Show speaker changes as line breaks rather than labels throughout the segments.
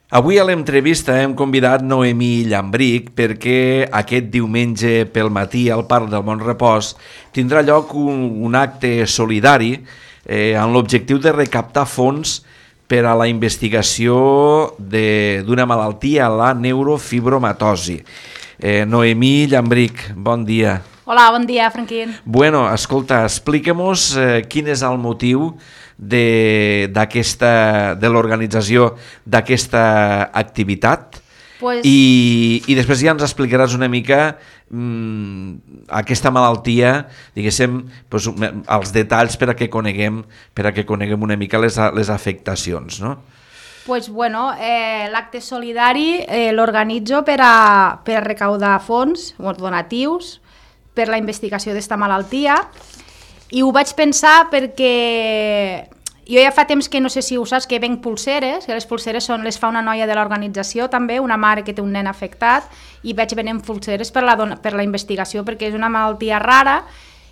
Avui a l'entrevista hem convidat Noemí Llambric perquè aquest diumenge pel matí al Parc del Mont Repòs tindrà lloc un acte solidari amb l'objectiu de recaptar fons per a la investigació d'una malaltia, la neurofibromatosi. Noemí Llambric, bon dia.
Hola, bon dia, Franquín.
Bueno, escolta, expliquem-nos quin és el motiu de l'organització d'aquesta activitat i després ja ens explicaràs una mica aquesta malaltia, diguéssim, els detalls per a que coneguem una mica les afectacions, no?
L'acte solidari l'organitzo per recaudar fons, donatius, per la investigació d'esta malaltia, i ho vaig pensar perquè jo ja fa temps que no sé si ho saps que venc pulseres, que les pulseres les fa una noia de l'organització també, una mare que té un nen afectat, i vaig venent pulseres per la investigació perquè és una malaltia rara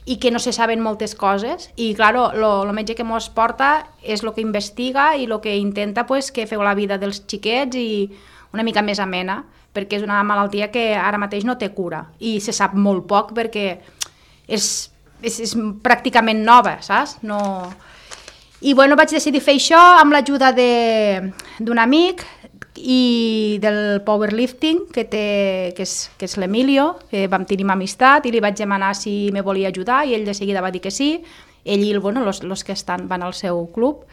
i que no se saben moltes coses, i claro, el metge que mos porta és el que investiga i el que intenta que feu la vida dels xiquets i una mica més amena, perquè és una malaltia que ara mateix no té cura i se sap molt poc perquè és pràcticament nova, saps? No... I vaig decidir fer això amb l'ajuda d'un amic i del powerlifting que és l'Emilio, que vam tenir amistat, i li vaig demanar si me volia ajudar i ell de seguida va dir que sí, ell i els que van al seu club.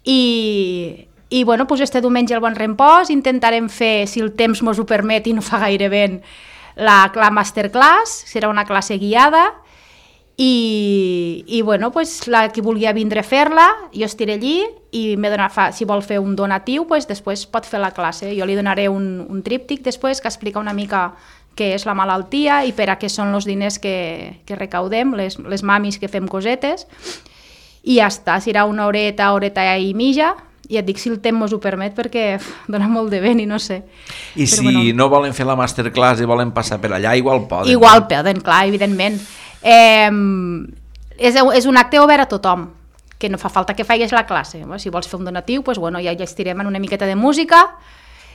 I este diumenge al Bon Repòs intentarem fer, si el temps mos ho permet i no fa gaire vent, la masterclass, serà una classe guiada, i qui vulgui vindre a fer-la, jo estiré allí i si vol fer un donatiu, després pot fer la classe. Jo li donaré un tríptic després que explica una mica què és la malaltia i per a què són els diners que recaudem, les mamis que fem cosetes, i ja està, serà una horeta i mitja, i et dic si el temps ho permet perquè dona molt de vent i no sé.
I si no volen fer la masterclass i volen passar per allà, igual poden.
Igual poden, clar, evidentment. És un acte obert a tothom, que no fa falta que facis la classe. Si vols fer un donatiu, ja estirem en una miqueta de música.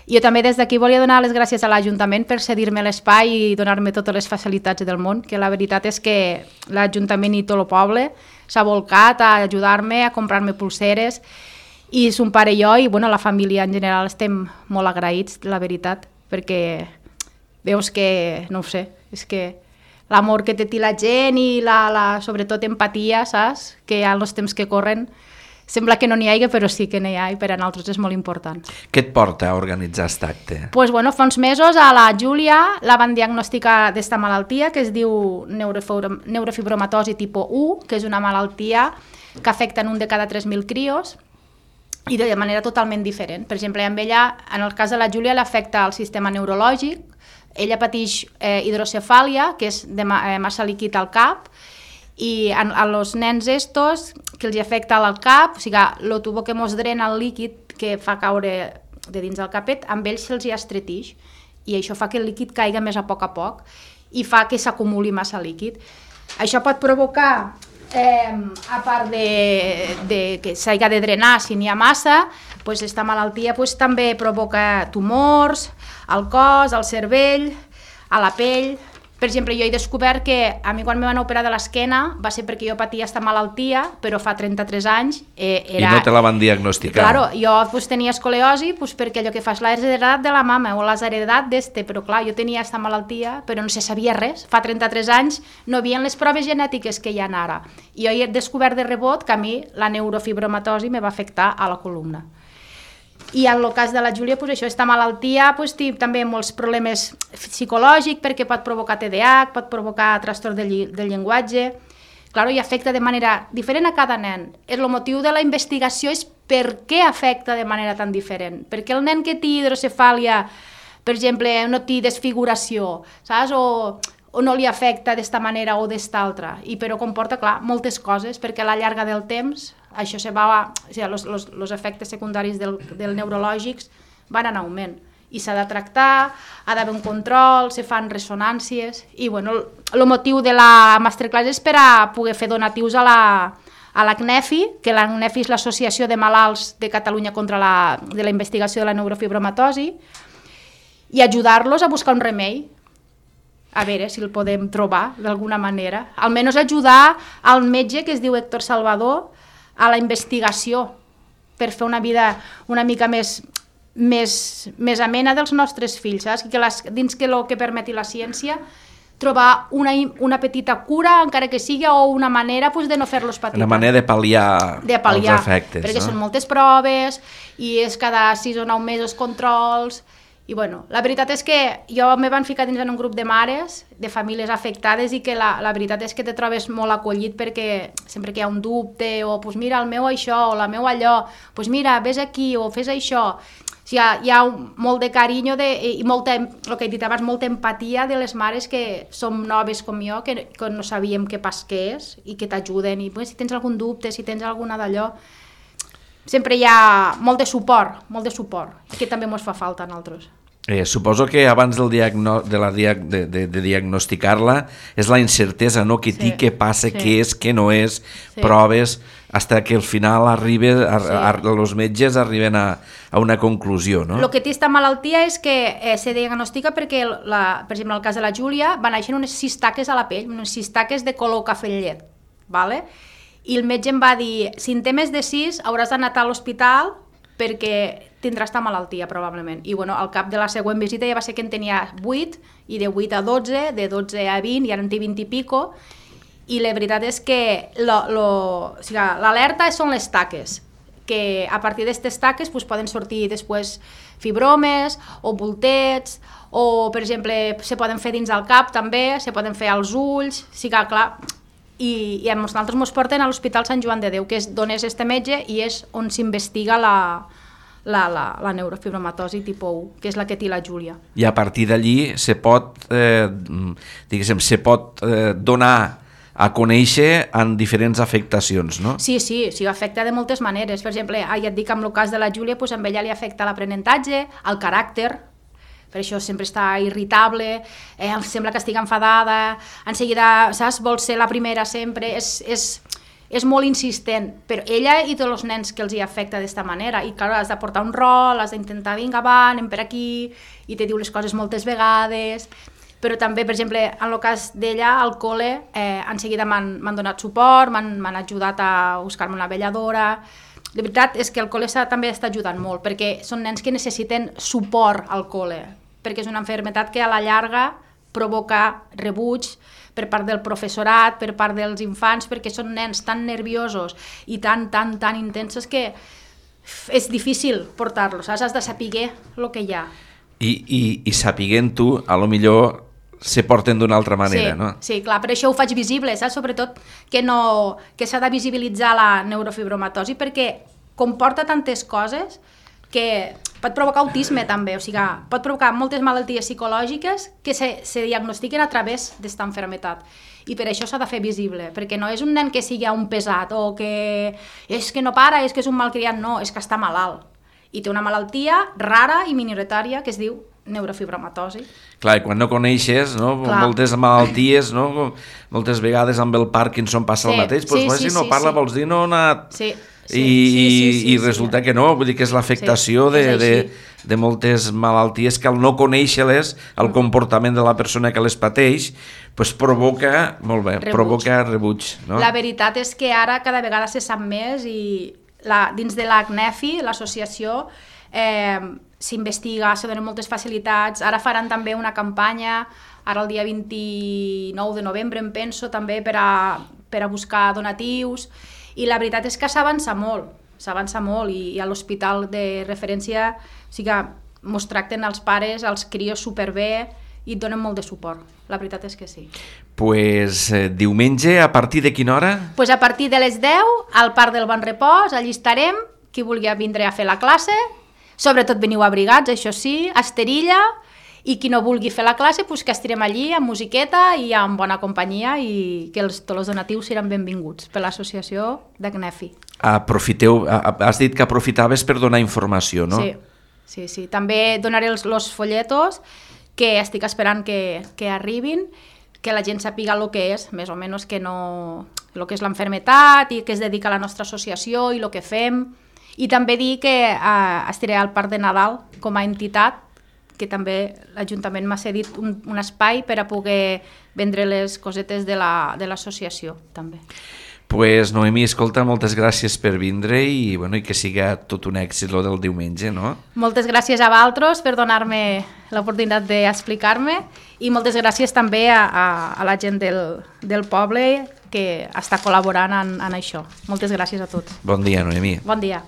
Jo també des d'aquí volia donar les gràcies a l'Ajuntament per cedir-me l'espai i donar-me totes les facilitats del món, que la veritat és que l'Ajuntament i tot el poble s'ha volcat a ajudar-me, a comprar-me pulseres, i son pare i jo, i la família en general, estem molt agraïts, la veritat, perquè veus que, no ho sé, és que l'amor que té la gent i sobretot empatia, saps? Que en els temps que corren sembla que no n'hi hagi, però sí que n'hi ha, i per a nosaltres és molt important.
Què et porta a organitzar aquest acte?
Fa uns mesos a la Júlia la van diagnosticar d'esta malaltia que es diu neurofibromatosi tipus 1, que és una malaltia que afecta en un de cada 3.000 crios, i de manera totalment diferent. Per exemple, amb ella, en el cas de la Júlia, l'afecta el sistema neurològic, ella pateix hidrocefàlia, que és de massa líquid al cap, i als nens estos que els afecta al cap, o sigui, el tubo que mos drena el líquid que fa caure de dins del capet, amb ells se'ls estretix, i això fa que el líquid caiga més a poc i fa que s'acumuli massa líquid. Això pot provocar, a part de que s'hagi de drenar si n'hi ha massa, aquesta malaltia també provoca tumors al cos, al cervell, a la pell. Per exemple, jo he descobert que a mi quan me van operar de l'esquena va ser perquè jo patia aquesta malaltia, però fa 33 anys
I no te la van diagnosticar.
Claro, jo tenia escoliosi perquè allò que fas l'has heredat de la mama o l'has heredat però clar, jo tenia aquesta malaltia, però no se sabia res. Fa 33 anys no hi havia les proves genètiques que hi ha ara. I jo he descobert de rebot que a mi la neurofibromatosi me va afectar a la columna. I en el cas de la Júlia, aquesta malaltia té també molts problemes psicològics perquè pot provocar TDAH, pot provocar trastorn del llenguatge. Clar, i afecta de manera diferent a cada nen. El motiu de la investigació és per què afecta de manera tan diferent. Perquè el nen que té hidrocefàlia, per exemple, no té desfiguració, saps? O no li afecta d'esta manera o d'esta altra, però comporta, clar, moltes coses, perquè a la llarga del temps això els efectes secundaris del neurològics van en augment i s'ha de tractar, ha d'haver un control, se fan ressonàncies i el motiu de la masterclass és per a poder fer donatius a a l'ACNEFI, que l'ACNEFI és l'Associació de Malalts de Catalunya contra la investigació de la neurofibromatosi, i ajudar-los a buscar un remei, a veure si el podem trobar d'alguna manera. Almenys ajudar al metge, que es diu Héctor Salvador, a la investigació, per fer una vida una mica més amena dels nostres fills, saps? Dins que el que permeti la ciència, trobar una petita cura, encara que sigui, o una manera de no fer-los patir.
Una manera de pal·liar els efectes.
Perquè són moltes proves, i és cada 6 o 9 mesos controls, i bueno, la veritat és que jo me van ficar dins en un grup de mares, de famílies afectades, i que la veritat és que te trobes molt acollit, perquè sempre que hi ha un dubte, o pues mira, el meu això, o la meu allò, pues mira, vés aquí, o fes això. O sigui, hi ha molt de carinyo i molta, el que he dit abans, molta empatia de les mares que som noves com jo, que no sabíem què és, i que t'ajuden, i si tens algun dubte, si tens alguna d'allò, sempre hi ha molt de suport, que també ens fa falta a nosaltres.
Suposo que abans de diagnosticar-la és la incertesa, no? Que té, què passa, què és, què no és, proves, fins que al final els metges arriben a una conclusió, no?
El que té aquesta malaltia és que se diagnostica perquè, per exemple, en el cas de la Júlia, van néixer unes cistaques a la pell, unes cistaques de color cafè llet, ¿vale? I el metge em va dir, si en té més de 6 hauràs d'anar a l'hospital perquè tindrà esta malaltia, probablement. I bueno, al cap de la següent visita ja va ser que en tenia 8, i de 8 a 12, de 12 a 20, i ara en té 20 i pico, i la veritat és que l'alerta són les taques, que a partir d'aquestes taques poden sortir després fibromes o bultets, o per exemple se poden fer dins del cap també, se poden fer als ulls, sí que clar, i a nosaltres ens porten a l'Hospital Sant Joan de Déu, que és d'on és este metge i és on s'investiga la neurofibromatosi tipus 1, que és la que té la Júlia.
I a partir d'allí se pot donar a conèixer en diferents afectacions, no?
Sí, afecta de moltes maneres. Per exemple, ja et dic, amb el cas de la Júlia, a ella li afecta l'aprenentatge, el caràcter, per això sempre està irritable, sembla que estigui enfadada, en seguida, saps, vol ser la primera sempre, és molt insistent, però ella i tots els nens que els hi afecta d'aquesta manera, i clar, has de portar un rol, has d'intentar, vinga, va, anem per aquí, i te diu les coses moltes vegades, però també, per exemple, en el cas d'ella, al col·le, en seguida m'han donat suport, m'han ajudat a buscar-me una vetlladora. La veritat és que el col·le també està ajudant molt, perquè són nens que necessiten suport al col·le, perquè és una malaltia que a la llarga provoca rebuig per part del professorat, per part dels infants, perquè són nens tan nerviosos i tan intensos que és difícil portar-los, has de saber el que hi ha.
I sapiguent-ho, a lo millor se porten d'una altra manera, no?
Sí, clar, per això ho faig visible, saps? Sobretot que s'ha de visibilitzar la neurofibromatosi, perquè comporta tantes coses que pot provocar autisme també, o sigui, pot provocar moltes malalties psicològiques que se diagnostiquen a través d'esta malaltia. I per això s'ha de fer visible, perquè no és un nen que sigui un pesat o que és que no para, és que és un malcriat, no, és que està malalt. I té una malaltia rara i minoritària que es diu neurofibromatosi.
Clar, i quan no coneixes, no? Moltes malalties, no? Moltes vegades amb el Parkinson passa el mateix, però si no parla vols dir no ha anat... I resulta que no, vull dir que és l'afectació de moltes malalties que al no conèixer-les, el comportament de la persona que les pateix, provoca rebuig.
La veritat és que ara cada vegada se sap més i dins de l'ACNEFI, l'associació, s'investiga, se donen moltes facilitats. Ara faran també una campanya, ara el dia 29 de novembre, em penso, també per a buscar donatius. I la veritat és que s'avança molt i a l'hospital de referència ens tracten els pares, els crios superbé i et donen molt de suport. La veritat és que sí.
Diumenge, a partir de quina hora?
A partir de les 10, al Parc del Bon Repòs, allí estarem, qui vulgui vindre a fer la classe, sobretot veniu abrigats, això sí, a esterilla, i qui no vulgui fer la classe, que estirem allí amb musiqueta i amb bona companyia i que tots els donatius seran benvinguts per l'associació d'ACNEFI.
Has dit que aprofitaves per donar informació, no?
Sí. També donaré els folletos que estic esperant que arribin, que la gent sàpiga el que és, més o menys que no el que és l'enfermetat i que es dedica a la nostra associació i el que fem. I també dir que estaré al Parc de Nadal com a entitat, que també l'Ajuntament m'ha cedit un espai per a poder vendre les cosetes de l'associació, també.
Pues, Noemí, escolta, moltes gràcies per vindre i que siga tot un èxit lo del diumenge, no?
Moltes gràcies a vosaltres per donar-me l'oportunitat d'explicar-me i moltes gràcies també a la gent del poble que està col·laborant en això. Moltes gràcies a tots.
Bon dia, Noemí.
Bon dia.